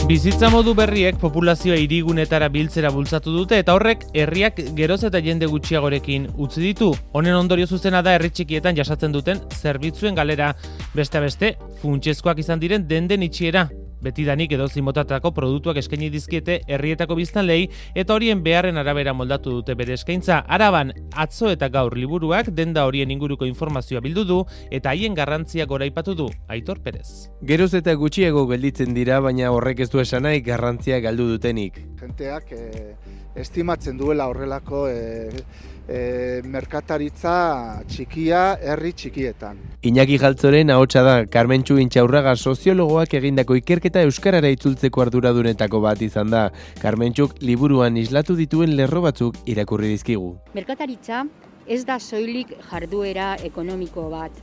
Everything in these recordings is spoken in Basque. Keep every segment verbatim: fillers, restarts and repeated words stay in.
Bizitza modu berriek populazioa hirigunetara biltzera bultzatu dute eta horrek herriak geroz eta jende gutxiagorekin utzi ditu. Honen ondorio zuzena da herri txikietan jasatzen duten zerbitzuen galera, beste beste funtsezkoak izan diren denden itxiera. Betidanik edozein motatako produktuak eskaini dizkiete herrietako biztanleei eta horien beharren arabera moldatu dute bere eskaintza. Araban, atzo eta gaur liburuak denda horien inguruko informazioa bildu du eta haien garrantzia goraipatu du Aitor Perez. Geroz eta gutxiago gelditzen dira, baina horrek ez du esan nahi garrantzia galdu dutenik. Jenteak eh, estimatzen duela horrelako eh, eh, merkataritza txikia herri txikietan. Iñaki Galtzoren ahotsa da, Karmentxu Intxaurraga soziologoak egindako ikerketa euskarara itzultzeko arduradunetako bat izan da. Karmentxuk liburuan islatu dituen lerro batzuk irakurri dizkigu. Merkataritza ez da soilik jarduera ekonomiko bat.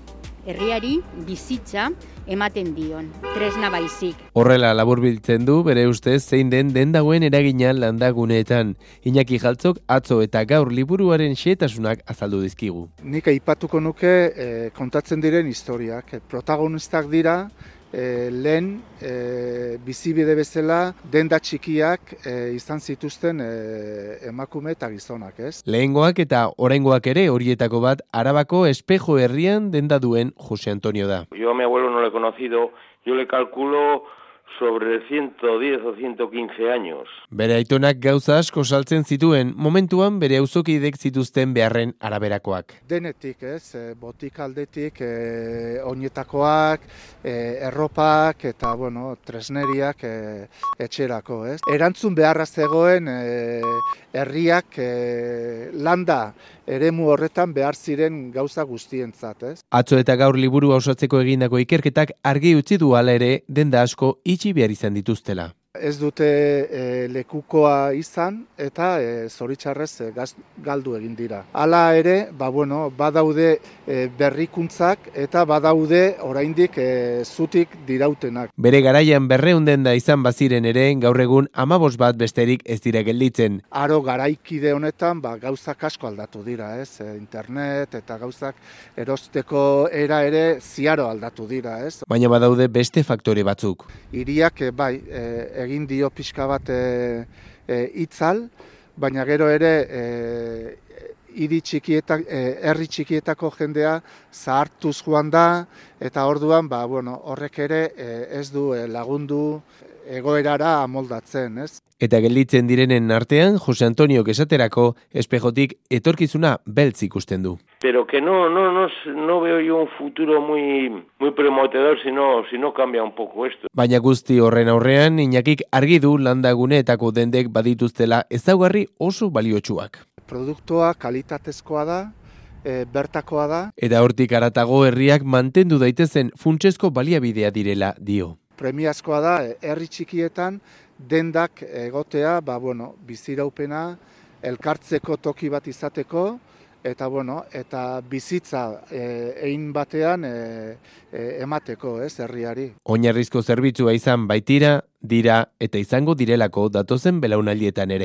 Herriari bizitza ematen dion, tresna baizik. Horrela laburbiltzen du bere ustez zein den dendagoen eragina landaguneetan. Iñaki Galtzok atzo eta gaur liburuaren xehetasunak azaldu dizkigu. Nik aipatuko nuke eh, kontatzen diren historiak. Protagonistak dira eh, lehen eh, bizibide bezala denda txikiak eh, izan zituzten eh, emakume eta gizonak, ez? Lehengoak eta oraingoak ere horietako bat Arabako Espejo herrian denda duen Jose Antonio da. Yo a mi abuelo no lo he conocido, yo le calculo sobre ciento diez o ciento quince años. Bere aitonak gauza asko saltzen zituen, momentuan bere auzokidek zituzten beharren araberakoak. Denetik, ez, botik aldetik, e, oinetakoak, e, erropak eta, bueno, tresneriak e, etxerako, ez. Erantzun beharra zegoen e, herriak e, landa eremu horretan behar ziren gauza guztientzat, ez. Atzo eta gaur liburu osatzeko egindako ikerketak argi utzi du hala ere denda asko itxi behar izan dituztela. Ez dute e, lekukoa izan eta e, zoritxarrez e, gaz, galdu egin dira. Hala ere, ba, bueno, badaude e, berrikuntzak eta badaude oraindik e, zutik dirautenak. Bere garaian berrehun denda izan baziren ere, gaur egun hamabost bat besterik ez dira gelditzen. Aro garaikide honetan ba, gauzak asko aldatu dira, ez? E, internet eta gauzak erosteko era ere ziaro aldatu dira, ez? Baina badaude beste faktore batzuk. Hiriak e, bai, e, egin dio pixka bat e, e, itzal, baina gero ere e, hiri txikietak, e, herri txikietako jendea zahartuz joan da, eta orduan ba, bueno, horrek ere e, ez du e, lagundu egoerara amoldatzen, ez? Eta gelditzen direnen artean, Jose Antoniok esaterako espejotik etorkizuna beltz ikusten du. Pero que no, no, no, no veo yo un futuro muy, muy prometedor si no, si no cambia un poco esto. Baina guzti horren aurrean, Iñakik argi du landaguneetako dendek badituztela ezaugarri oso baliotsuak. Produktua kalitatezkoa da, e, bertakoa da. Eta hortik haratago herriak mantendu daitezen funtsezko baliabidea direla dio. Premiazkoa da, herri txikietan dendak egotea, ba, bueno, biziraupena, elkartzeko toki bat izateko, eta, bueno, eta bizitza e, egin batean e, e, emateko, ez, herriari. Oinarrizko zerbitzua izan baitira, dira eta izango direlako datozen belaunaldietan ere.